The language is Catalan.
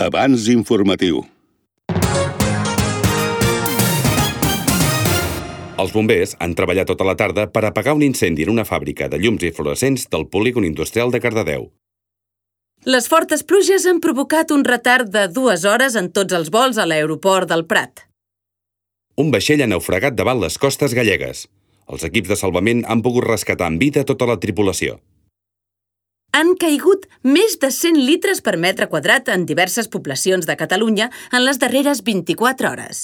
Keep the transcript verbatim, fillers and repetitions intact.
Avanç informatiu. Els bombers han treballat tota la tarda per apagar un incendi en una fàbrica de llums i fluorescents del polígon industrial de Cardedeu. Les fortes pluges han provocat un retard de dues hores en tots els vols a l'aeroport del Prat. Un vaixell ha naufragat davant les costes gallegues. Els equips de salvament han pogut rescatar en vida tota la tripulació. Han caigut més de cent litres per metre quadrat en diverses poblacions de Catalunya en les darreres vint-i-quatre hores.